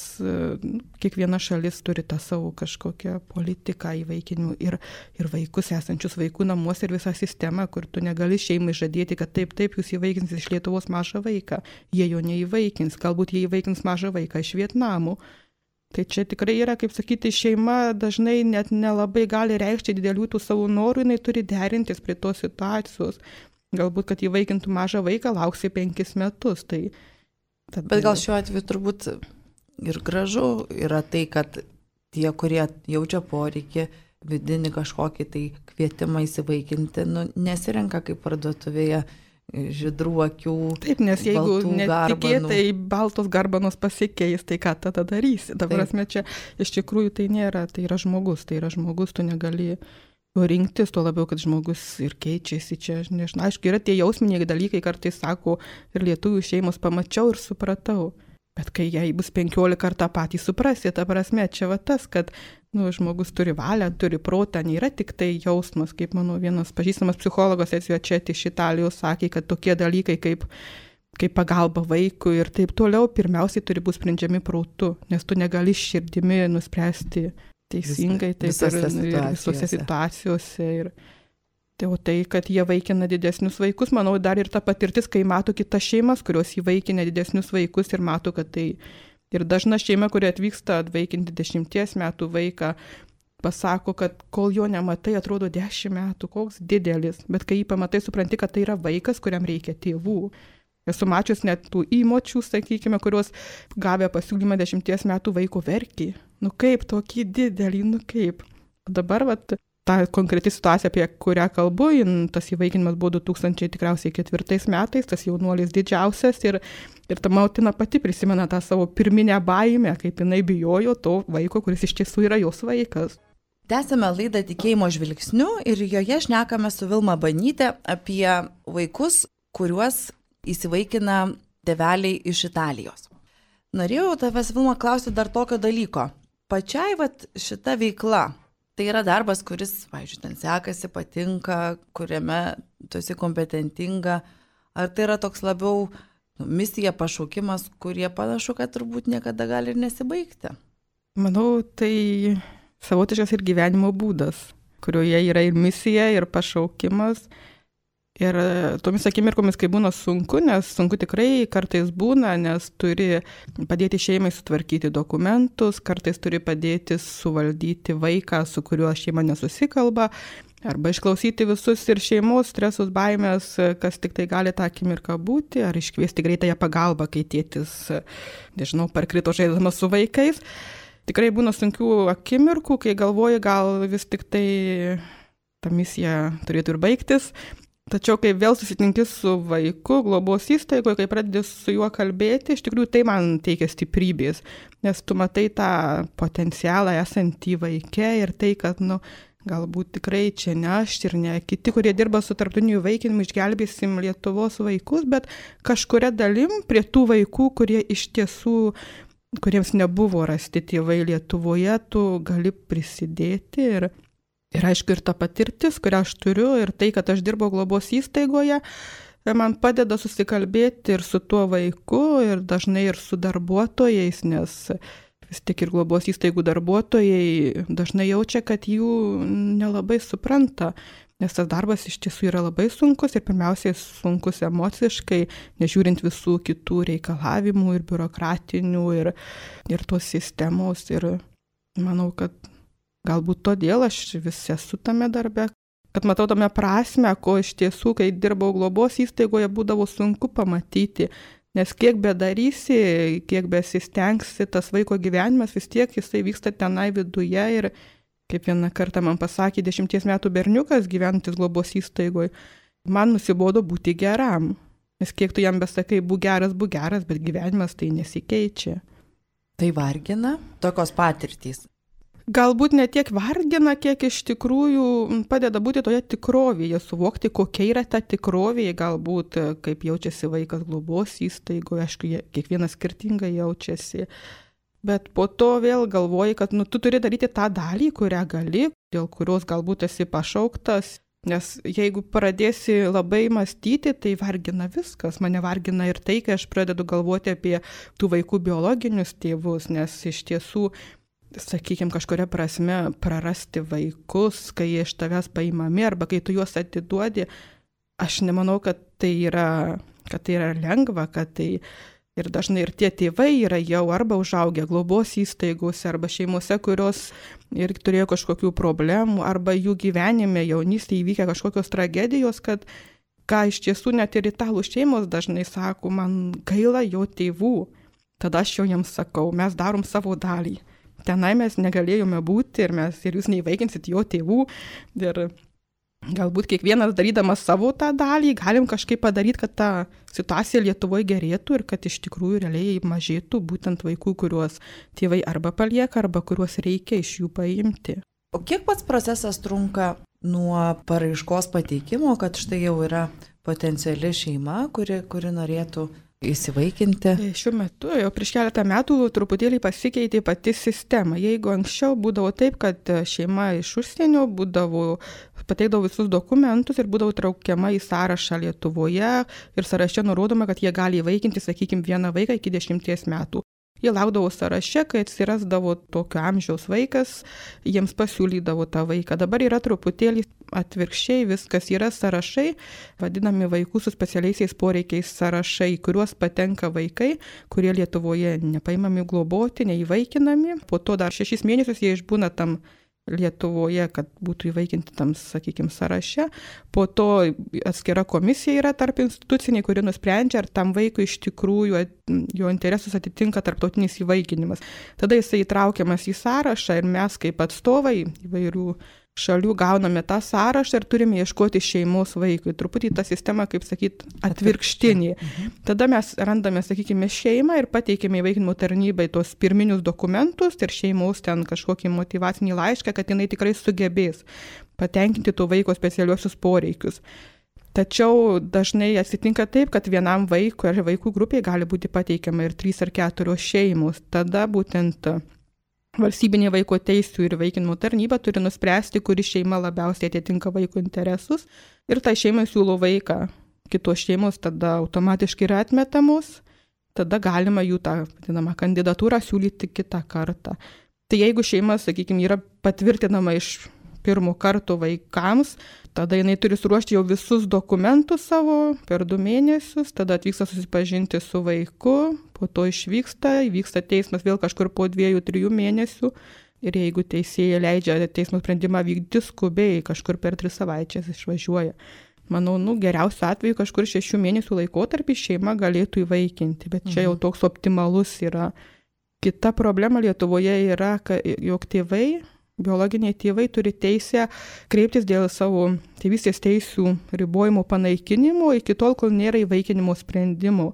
kiekviena šalis turi tą savo kažkokią politiką įvaikinimų ir vaikus esančius vaikų namuose ir visą sistemą, kur tu negali šeimai žadėti, kad taip, jūs įvaikins iš Lietuvos mažą vaiką. Jie jo neįvaikins, galbūt jie įvaikins mažą vaiką iš Vietnamo. Tai čia tikrai yra, kaip sakyti, šeima dažnai net nelabai gali reikšti didelių tų savo norų, jinai turi derintis prie tos situacijos. Galbūt, kad įvaikintų mažą vaiką, lauksi 5 metus. Tai tada... Bet gal šiuo atveju turbūt ir gražu yra tai, kad tie, kurie jaučia poreikį, vidinį kažkokį tai kvietimą įsivaikinti, nesirenka kaip parduotuvėje žydrų akių. Taip, nes jeigu netikėtai baltos garbanos pasikeis, tai ką tada darysi? Dabar prasme, čia iš tikrųjų tai nėra, tai yra žmogus, tu negali rinktis, tuo labiau, kad žmogus ir keičiasi čia, nežinau, aišku, yra tie jausminiai dalykai, kartais sako, ir lietuvių šeimos pamačiau ir supratau. Bet kai jai bus 15 kartą patį suprasi, ta prasme, čia va tas, kad žmogus turi valią, turi protą, nėra tik tai jausmas, kaip mano vienas pažįstamas psichologas Ezvečet iš Italijos sakė, kad tokie dalykai kaip pagalba vaikui ir taip toliau, pirmiausiai turi būti sprendžiami protu, nes tu negali širdimi nuspręsti teisingai visose situacijose. O tai, kad jie vaikina didesnius vaikus, manau, dar ir ta patirtis, kai mato kitas šeimas, kurios įvaikina didesnius vaikus ir mato, kad tai ir dažna šeima, kuri atvyksta atvaikinti 10 metų vaiką, pasako, kad kol jo nematai, atrodo 10 metų, koks didelis, bet kai jį pamatai, supranti, kad tai yra vaikas, kuriam reikia tėvų. Esu mačius net tų įmočių, sakykime, kurios gavę pasiūlymą 10 metų vaiko verkė. Nu kaip, tokį didelį, nu kaip. Dabar, ta konkreti situacija, apie kurią kalbu, tas įvaikinimas buvo 2004 metais, tas jaunuolis didžiausias ir ta motina pati prisimena tą savo pirminę baimę, kaip jinai bijojo to vaiko, kuris iš tiesų yra jos vaikas. Tęsime laidą Tikėjimo žvilgsniu ir joje šnekame su Vilma Banytė apie vaikus, kuriuos įsivaikina tėveliai iš Italijos. Norėjau tavęs, Vilma, klausyti dar tokio dalyko. Pačiai šita veikla, tai yra darbas, kuris, pavyzdžiui, ten sekasi, patinka, kuriame tu esi kompetentinga, ar tai yra toks labiau misija, pašaukimas, kurie panašu, kad turbūt niekada gali ir nesibaigti? Manau, tai savotiškas ir gyvenimo būdas, kurioje yra ir misija, ir pašaukimas. Ir tomis akimirkomis, kai būna sunku, nes sunku tikrai kartais būna, nes turi padėti šeimai sutvarkyti dokumentus, kartais turi padėti suvaldyti vaiką, su kuriuo šeima nesusikalba, arba išklausyti visus ir šeimos stresus, baimės, kas tik tai gali tą akimirką būti, ar iškviesti greitąją pagalbą, kai tėtis, nežinau, parkrito žaisdamas su vaikais. Tikrai būna sunkių akimirkų, kai galvoji, gal vis tik tai ta misija turėtų ir baigtis. Tačiau, kai vėl susitinki su vaiku globos įstaigoje, kai pradedi su juo kalbėti, iš tikrųjų tai man teikia stiprybės, nes tu matai tą potencialą esantį vaike ir tai, kad, galbūt tikrai čia ne aš ir ne kiti, kurie dirba su tarptautiniu įvaikinimu, išgelbėsim Lietuvos vaikus, bet kažkuria dalim prie tų vaikų, kurie iš tiesų kuriems nebuvo rasti tėvai Lietuvoje, tu gali prisidėti ir aišku, ir ta patirtis, kurią aš turiu, ir tai, kad aš dirbau globos įstaigoje, man padeda susikalbėti ir su tuo vaiku, ir dažnai ir su darbuotojais, nes vis tik ir globos įstaigų darbuotojai dažnai jaučia, kad jų nelabai supranta, nes tas darbas iš tiesų yra labai sunkus ir pirmiausiai sunkus emociškai, nežiūrint visų kitų reikalavimų ir biurokratinių ir tos sistemos. Ir manau, kad galbūt todėl aš vis esu tame darbe, kad matau tame prasme, ko iš tiesų, kai dirbau globos įstaigoje, būdavo sunku pamatyti. Nes kiek bedarysi, kiek besistengsi, tas vaiko gyvenimas vis tiek jisai vyksta tenai viduje ir kaip vieną kartą man pasakė 10 metų berniukas gyvenantis globos įstaigoje, man nusibodo būti geram. Nes kiek tu jam besakai, būk geras, bet gyvenimas tai nesikeičia. Tai vargina tokios patirtys? Galbūt ne tiek vargina, kiek iš tikrųjų padeda būti toje tikrovėje, suvokti, kokia yra ta tikrovė, galbūt kaip jaučiasi vaikas globos įstaigoje, aišku, kiekvienas skirtingai jaučiasi. Bet po to vėl galvoji, kad tu turi daryti tą dalį, kurią gali, dėl kurios galbūt esi pašauktas. Nes jeigu pradėsi labai mąstyti, tai vargina viskas. Mane vargina ir tai, kai aš pradedu galvoti apie tų vaikų biologinius tėvus, nes iš tiesų, sakykime, kažkuria prasme prarasti vaikus, kai jie iš tavęs paimami arba kai tu juos atiduodi, aš nemanau, kad tai yra lengva, kad tai... Ir dažnai ir tie tėvai yra jau arba užaugę globos įstaigose, arba šeimose, kurios ir turėjo kažkokių problemų, arba jų gyvenime jaunystėje įvykę kažkokios tragedijos, kad ką iš tiesų net ir italų šeimos dažnai sako, man gaila jo tėvų. Tada aš jau jiems sakau, mes darom savo dalį. Tenai mes negalėjome būti ir jūs neįvaikinsit jo tėvų. Ir galbūt kiekvienas darydamas savo tą dalį, galim kažkaip padaryti, kad ta situacija Lietuvoje gerėtų ir kad iš tikrųjų realiai mažėtų būtent vaikų, kuriuos tėvai arba palieka, arba kuriuos reikia iš jų paimti. O kiek pats procesas trunka nuo paraiškos pateikimo, kad štai jau yra potenciali šeima, kuri norėtų įsivaikinti? Šiuo metu, jau prieš keletą metų truputėlį pasikeitė pati sistema. Jeigu anksčiau būdavo taip, kad šeima iš užsienio pateikdavo visus dokumentus ir būdavo traukiama į sąrašą Lietuvoje ir sąraše nurodoma, kad jie gali įvaikinti, sakykime, vieną vaiką iki 10 metų. Jie laukdavo sąraše, kai atsirasdavo tokio amžiaus vaikas, jiems pasiūlydavo tą vaiką. Dabar yra truputėlį atvirkščiai, viskas yra sąrašai, vadinami vaikų su specialiaisiais poreikiais sąrašai, kuriuos patenka vaikai, kurie Lietuvoje nepaimami globoti, neįvaikinami. Po to dar 6 mėnesius jie išbūna tam Lietuvoje, kad būtų įvaikinti tam, sakykime, sąraše. Po to atskira komisija yra tarp instituciniai, kuri nusprendžia, ar tam vaikui iš tikrųjų jo interesus atitinka tarptautinis įvaikinimas. Tada jisai įtraukiamas į sąrašą ir mes kaip atstovai įvairių šalių gauname tą sąrašą ir turime ieškoti šeimos vaikui. Truputį ta sistema, kaip sakyt, atvirkštinė. Tada mes randame, sakykime, šeimą ir pateikime įvaikinimo tarnybai tos pirminius dokumentus ir šeimos ten kažkokį motyvacinį laišką, kad jinai tikrai sugebės patenkinti to vaiko specialiuosius poreikius. Tačiau dažnai atsitinka taip, kad vienam vaikui ar vaikų grupiai gali būti pateikiama ir 3 ar 4 šeimos. Tada būtent valstybinė vaiko teisių ir įvaikinimo tarnyba turi nuspręsti, kuri šeima labiausiai atitinka vaiko interesus ir tai šeimai siūlo vaiką. Kitos šeimos tada automatiškai yra atmetamos, tada galima jų tą vadinamą kandidatūrą siūlyti kitą kartą. Tai jeigu šeima, sakykime, yra patvirtinama iš pirmo karto vaikams, tada jinai turi suruošti jau visus dokumentus savo per 2 mėnesius, tada atvyksta susipažinti su vaiku, po to įvyksta teismas vėl kažkur po 2-3 mėnesių ir jeigu teisėja leidžia teismo sprendimą vykdyti skubiai, kažkur per 3 savaitės išvažiuoja. Manau, geriausiu atveju kažkur 6 mėnesių laikotarpį šeima galėtų įvaikinti, bet čia jau toks optimalus yra. Kita problema Lietuvoje yra, jog biologiniai tėvai turi teisę kreiptis dėl savo tėvystės teisių ribojimo panaikinimo iki tol, kol nėra įvaikinimo sprendimo.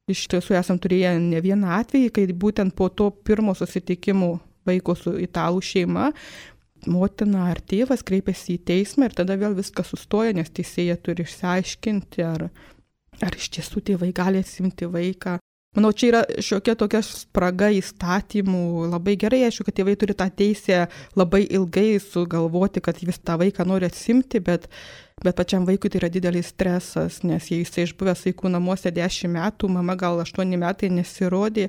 Iš tiesų esam turėję ne vieną atvejį, kai būtent po to pirmo susitikimo vaiko su italų šeima motina ar tėvas kreipiasi į teismą ir tada vėl viskas sustoja, nes teisėja turi išsiaiškinti, ar iš tiesų tėvai gali atsimti vaiką. Manau, čia yra šiokia tokia spraga įstatymų. Labai gerai, aišku, kad tėvai turi tą teisę labai ilgai sugalvoti, kad vis tą vaiką nori atsimti, bet pačiam vaikui tai yra didelis stresas, nes jei jisai išbuvęs vaikų namuose 10 metų, mama gal 8 metai nesirodė,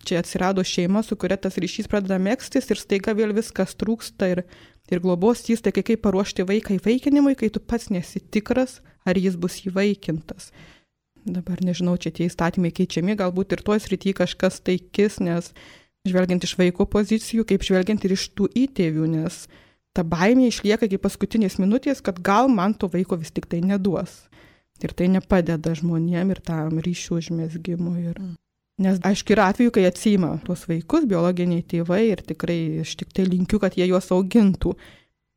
čia atsirado šeima, su kuria tas ryšys pradeda megztis ir staiga vėl viskas trūksta ir globos įstaigai, kaip paruošti vaiką įvaikinimui, kai tu pats nesi tikras, ar jis bus įvaikintas. Dabar nežinau, čia tie įstatymai keičiami, galbūt ir toj srity kažkas taikis, nes žvelgiant iš vaiko pozicijų, kaip žvelgiant ir iš tų įtėvių, nes ta baimė išlieka iki paskutinės minutės, kad gal man to vaiko vis tik tai neduos. Ir tai nepadeda žmonėm ir tam ryšių užmezgimui. Nes aišku, yra atveju, kai atsiima tuos vaikus biologiniai tėvai ir tikrai aš tik tai linkiu, kad jie juos augintų.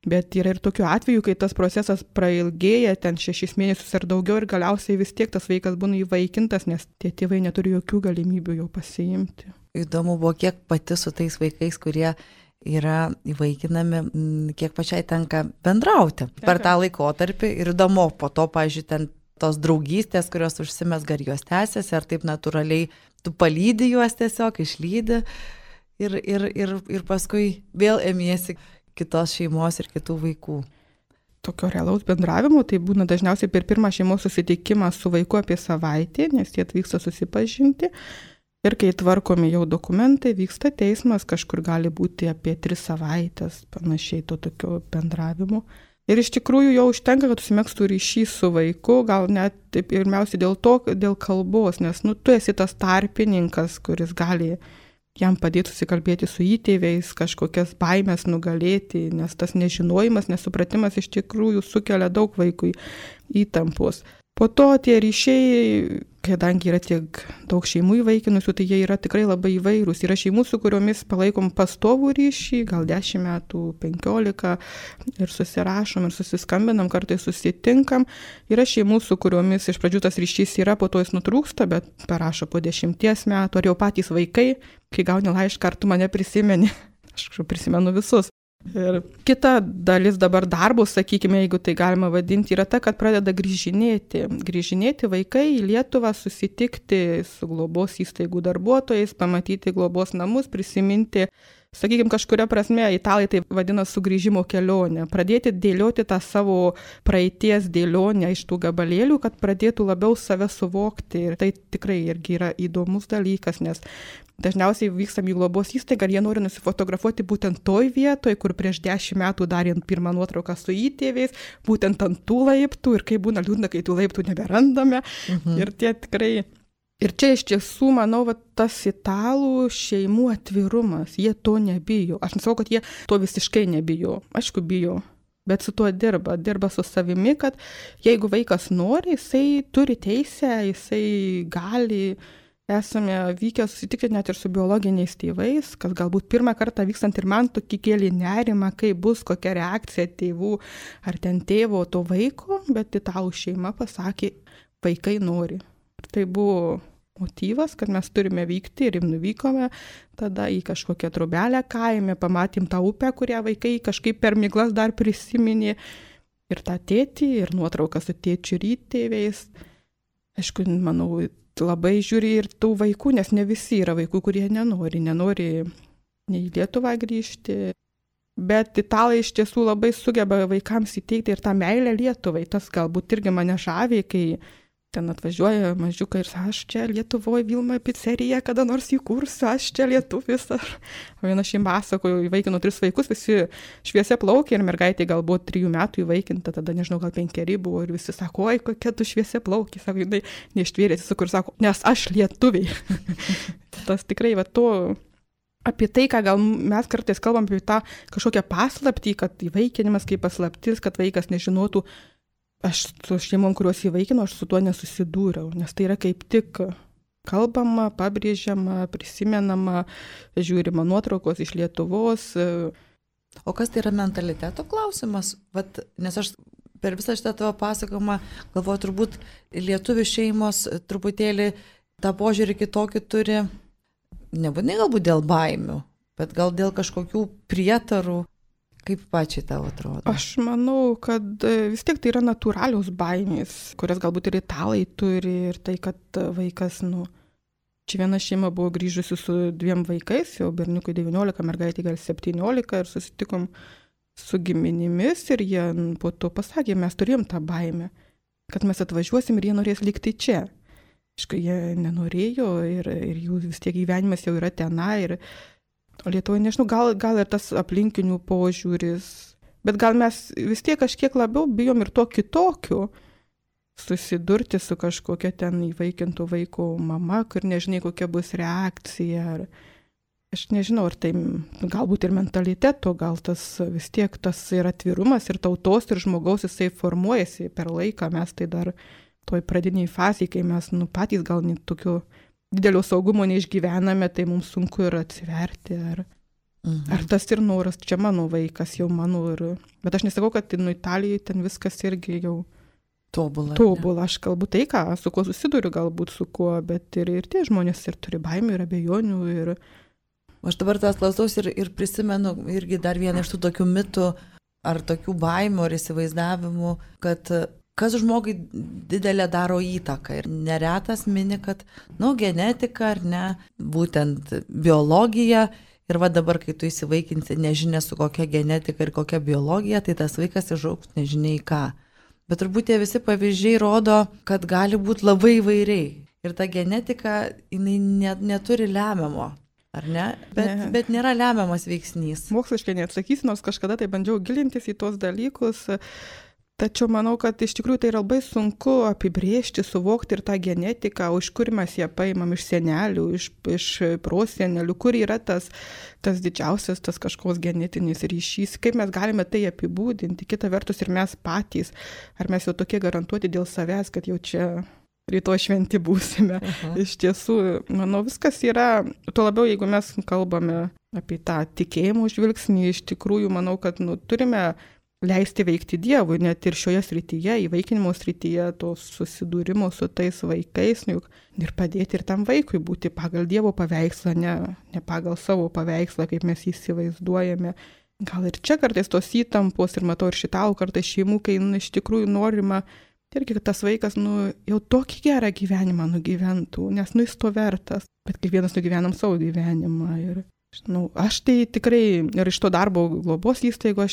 Bet yra ir tokių atvejų, kai tas procesas prailgėja ten 6 mėnesius ar daugiau ir galiausiai vis tiek tas vaikas būna įvaikintas, nes tie tėvai neturi jokių galimybių jo pasiimti. Įdomu buvo, kiek pati su tais vaikais, kurie yra įvaikinami, kiek pačiai tenka bendrauti per tą laikotarpį ir įdomu, po to, pavyzdžiui, ten tos draugystės, kurios užsimezga, ar jos tęsiasi, ar taip natūraliai tu palydi juos tiesiog, išlydi ir paskui vėl emiesi kitos šeimos ir kitų vaikų. Tokio realaus bendravimo, tai būna dažniausiai per pirmą šeimos susitikimą su vaiku apie savaitę, nes jie atvyksta susipažinti. Ir kai tvarkomi jau dokumentai, vyksta teismas, kažkur gali būti apie 3 savaitės, panašiai to tokio bendravimo. Ir iš tikrųjų jau užtenka, kad užsimegztų ryšys su vaiku, gal net pirmiausia dėl kalbos, nes tu esi tas tarpininkas, kuris gali jam padėti susikalbėti su įtėviais, kažkokias baimės nugalėti, nes tas nežinojimas, nesupratimas iš tikrųjų sukelia daug vaikui įtampos. Po to tie ryšiai, kadangi yra tiek daug šeimų įvaikinusių, tai jie yra tikrai labai įvairūs. Yra šeimų, su kuriomis palaikom pastovų ryšį, gal 10 metų, 15 ir susirašom ir susiskambinam, kartais susitinkam. Yra šeimų, su kuriomis iš pradžių tas ryšys yra, po to jis nutrūksta, bet parašo po 10 metų, ar jau patys vaikai, kai gauni laišką, ar tu mane prisimeni. Aš prisimenu visus. Ir kita dalis dabar darbo, sakykime, jeigu tai galima vadinti, yra ta, kad pradeda grįžinėti vaikai į Lietuvą, susitikti su globos įstaigų darbuotojais, pamatyti globos namus, prisiminti, sakykime, kažkuria prasme, italai tai vadina sugrįžimo kelionę, pradėti dėlioti tą savo praeities dėlionę iš tų gabalėlių, kad pradėtų labiau save suvokti. Ir tai tikrai irgi yra įdomus dalykas, nes dažniausiai vykstam į globos įstaigą ir jie nori nusifotografuoti būtent toj vietoj, kur prieš 10 metų darėm pirmą nuotrauką su įtėviais, būtent ant tų laiptų ir kai būna liūdna, kai tų laiptų neberandame. Ir tie tikrai Ir čia iš tiesų, manau, tas italų šeimų atvirumas, jie to nebijo. Aš nesakau, kad jie to visiškai nebijo. Aišku, bijo, bet su tuo dirba su savimi, kad jeigu vaikas nori, jisai turi teisę, jisai gali. Esame vykę susitikti net ir su biologiniais tėvais, kas galbūt pirmą kartą vykstant ir man tokį kėlė nerimą, kaip bus, kokia reakcija tėvų ar ten tėvo to vaiko, bet italų šeima pasakė, vaikai nori. Ir tai buvo motyvas, kad mes turime vykti ir nuvykome tada į kažkokią trobelę kaime, pamatėm tą upę, kurią vaikai kažkaip per miglas dar prisiminė ir tą tėtį, ir nuotrauką su tėčiu rytėviais. Aišku, manau, labai žiūri ir tų vaikų, nes ne visi yra vaikų, kurie nenori nei į Lietuvą grįžti. Bet italai iš tiesų labai sugeba vaikams įteikti ir tą meilę Lietuvai. Tas galbūt irgi mane žavi, kai ten atvažiuoja mažiukai ir sako, aš čia Lietuvoje Vilma pizzerija kada nors įkursiu, aš čia lietuvis. Viena šeima pasakojo, įvaikino 3 vaikus, visi šviesia plaukė ir mergaitė galbūt 3 metų įvaikinta, tada nežinau, gal 5 buvo ir visi sako, oi, kokia tu šviesia plaukė, sako, jinai neištvėrėsi, su kur sako, nes aš lietuviai. Tas tikrai to apie tai, ką gal mes kartais kalbam apie tą kažkokią paslaptį, kad įvaikinimas kaip paslaptis, kad vaikas nežinotų. Aš su šeimom, kuriuos įvaikino, aš su tuo nesusidūriau, nes tai yra kaip tik kalbama, pabrėžiama, prisimenama, žiūrima nuotraukos iš Lietuvos. O kas tai yra mentaliteto klausimas? Nes aš per visą šitą tavo pasakojimą galvoju, turbūt lietuvių šeimos truputėlį tą požiūrį kitokį turi, nebūtinai galbūt dėl baimių, bet gal dėl kažkokių prietarų. Kaip pačiai tau atrodo? Aš manau, kad vis tiek tai yra natūralios baimės, kurias galbūt ir italai turi ir tai, kad vaikas, čia viena šeima buvo grįžusi su 2 vaikais, jau berniukui 19, mergaitė gal 17 ir susitikom su giminimis ir jie po to pasakė, mes turėjom tą baimę, kad mes atvažiuosim ir jie norės likti čia. Aišku, jie nenorėjo ir jų vis tiek gyvenimas jau yra tenai ir Lietuvoje, nežinau, gal ir tas aplinkinių požiūris, bet gal mes vis tiek kažkiek labiau bijom ir to kitokiu susidurti su kažkokia ten įvaikintų vaiko mama, kur nežinai, kokia bus reakcija. Aš nežinau, ar tai galbūt ir mentaliteto, gal tas vis tiek tas ir atvirumas, ir tautos, ir žmogaus jisai formuojasi per laiką, mes tai dar toj pradiniai fazėje, kai mes patys gal net tokiu didelio saugumo neišgyvename, tai mums sunku ir atsiverti. Ar tas ir noras, čia mano vaikas, jau mano. Bet aš nesakau, kad Italijoje ten viskas irgi jau tobula. Aš kalbu tai, su kuo susiduriu, galbūt su kuo, bet ir tie žmonės ir turi baimių ir abejonių. Aš dabar tas klausaus ir prisimenu irgi dar vieną iš tų tokių mitų ar tokių baimių ar įsivaizdavimų, kad kas žmogui didelę daro įtaką. Ir neretas mini, kad, genetika ar ne, būtent biologija. Ir dabar, kai tu įsivaikinsi nežinia su kokia genetika ir kokia biologija, tai tas vaikas išaugs nežinia į ką. Bet turbūt tie visi pavyzdžiai rodo, kad gali būti labai įvairiai. Ir ta genetika, jinai neturi lemiamo. Ar ne? Bet nėra lemiamas veiksnys. Moksliškai neatsakysiu, nors kažkada tai bandžiau gilintis į tuos dalykus. Tačiau manau, kad iš tikrųjų tai yra labai sunku apibrėžti, suvokti ir tą genetiką, iš kur mes ją paimam, iš senelių, iš prosenelių, kur yra tas didžiausias tas kažkoks genetinis ryšys, kaip mes galime tai apibūdinti. Kita vertus ir mes patys, ar mes jau tokie garantuoti dėl savęs, kad jau čia rytoj šventi būsime. Iš tiesų, manau, viskas yra, tuo labiau, jeigu mes kalbame apie tą tikėjimo žvilgsnį, iš tikrųjų, manau, kad turime leisti veikti Dievui, net ir šioje srityje, įvaikinimo srityje, to susidūrimo su tais vaikais, ir padėti ir tam vaikui būti pagal Dievo paveikslą, ne pagal savo paveikslą, kaip mes įsivaizduojame. Gal ir čia kartais tos įtampos, ir matau ir šitalų kartais šeimų, kai iš tikrųjų norima, irgi, kad tas vaikas jau tokį gerą gyvenimą nugyventų, nes jis to vertas, bet kiekvienas nugyvenam savo gyvenimą. Ir aš tai tikrai ir iš to darbo globos įstaigo,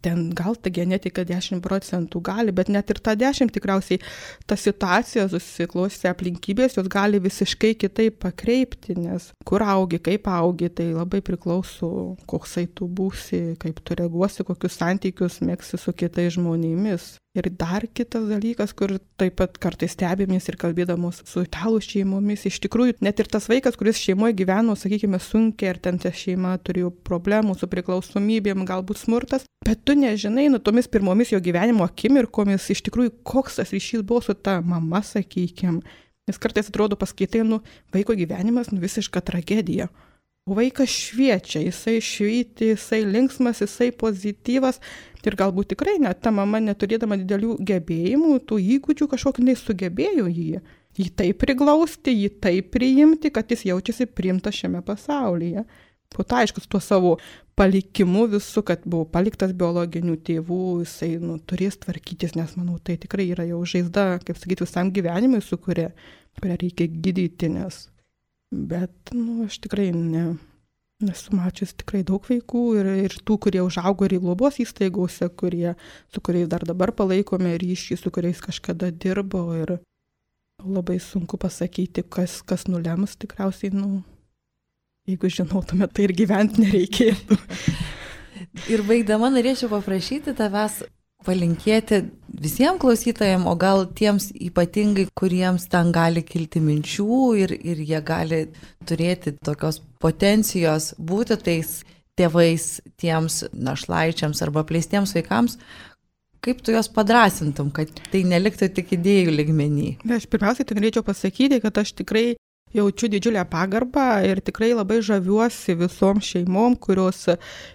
ten gal ta genetika 10% gali, bet net ir ta 10 tikriausiai ta situacija susiklostė aplinkybės, jos gali visiškai kitaip pakreipti, nes kur augi, kaip augi, tai labai priklauso, koksai tu būsi, kaip tu reaguosi, kokius santykius mėgsi su kitais žmonėmis. Ir dar kitas dalykas, kur taip pat kartais stebėmės ir kalbėdamos su italų šeimomis, iš tikrųjų, net ir tas vaikas, kuris šeimoje gyveno, sakykime, sunkiai, ar ten ta šeima turėjo problemų su priklausomybėm, galbūt smurtas, bet tu nežinai, tomis pirmomis jo gyvenimo akimirkomis, iš tikrųjų, koks tas ryšys buvo su ta mama, sakykime. Nes kartais atrodo paskaitai, vaiko gyvenimas, visiška tragedija. O vaikas šviečia, jisai švyti, jisai linksmas, jisai pozityvas ir galbūt tikrai net ta mama neturėdama didelių gebėjimų, tų įgūdžių kažkokiu nesugebėjo jį taip priglausti, jį taip priimti, kad jis jaučiasi priimtas šiame pasaulyje. Po to aišku, su tuo savo palikimu visu, kad buvo paliktas biologinių tėvų, jisai turės tvarkytis, nes manau, tai tikrai yra jau žaizda, kaip sakyti, visam gyvenimui, su kurią reikia gydyti, nes... Bet, aš tikrai nesu mačius tikrai daug vaikų ir tų, kurie užaugo ir į globos įstaigose, su kuriais dar dabar palaikome ryšį, su kuriais kažkada dirbo ir labai sunku pasakyti, kas nulems, tikriausiai, jeigu žinotume, tai ir gyventi nereikėtų. Ir baigdama norėčiau paprašyti tavęs palinkėti visiems klausytojams, o gal tiems ypatingai, kuriems ten gali kilti minčių ir jie gali turėti tokios potencijos būti tais tėvais tiems našlaičiams arba apleistiems vaikams, kaip tu juos padrąsintum, kad tai neliktų tik idėjų lygmenį? Aš pirmiausiai tai norėčiau pasakyti, kad aš tikrai jaučiu didžiulę pagarbą ir tikrai labai žaviuosi visom šeimom, kurios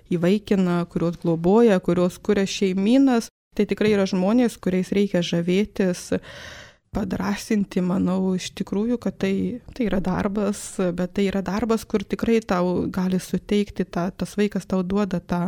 įvaikina, kurios globoja, kurios kuria šeimynas. Tai tikrai yra žmonės, kuriais reikia žavėtis, padrąsinti, manau, iš tikrųjų, kad tai yra darbas, bet tai yra darbas, kur tikrai tau gali suteikti, tas vaikas tau duoda tą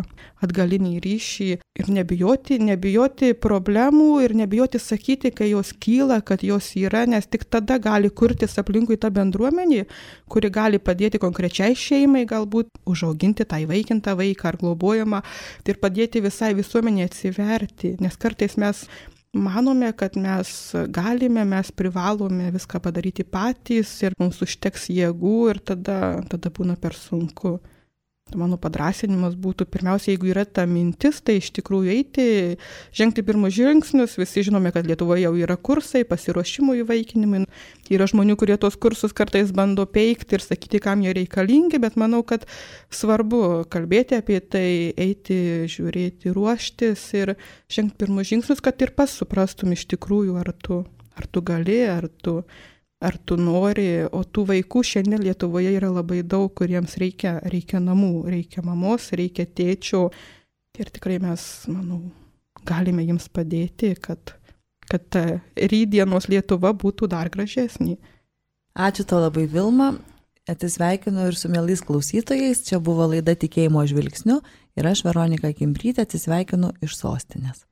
atgalinį ryšį ir nebijoti problemų ir nebijoti sakyti, kai jos kyla, kad jos yra, nes tik tada gali kurtis aplinkui tą bendruomenį, kuri gali padėti konkrečiai šeimai, galbūt užauginti tą įvaikintą vaiką ar globojamą ir padėti visai visuomenė atsiverti, nes kartais mes manome, kad mes galime, mes privalome viską padaryti patys ir mums užteks jėgų ir tada būna per sunku. Mano padrąsinimas būtų, pirmiausia, jeigu yra ta mintis, tai iš tikrųjų žengti pirmus žingsnius. Visi žinome, kad Lietuvoje jau yra kursai, pasiruošimo įvaikinimui. Yra žmonių, kurie tos kursus kartais bando peikti ir sakyti, kam jie reikalingi, bet manau, kad svarbu kalbėti apie tai, eiti, žiūrėti, ruoštis ir žengti pirmus žingsnius, kad ir pats suprastum iš tikrųjų, ar tu gali, ar tu nori, o tų vaikų šiandien Lietuvoje yra labai daug, kuriems reikia namų, reikia mamos, reikia tėčio ir tikrai mes, manau, galime jiems padėti, kad ta rytdienos Lietuva būtų dar gražesnė. Ačiū tau labai, Vilma, atsisveikinu ir su mielais klausytojais, čia buvo laida Tikėjimo žvilgsniu ir aš, Veronika Kimbrytė, atsisveikinu iš sostinės.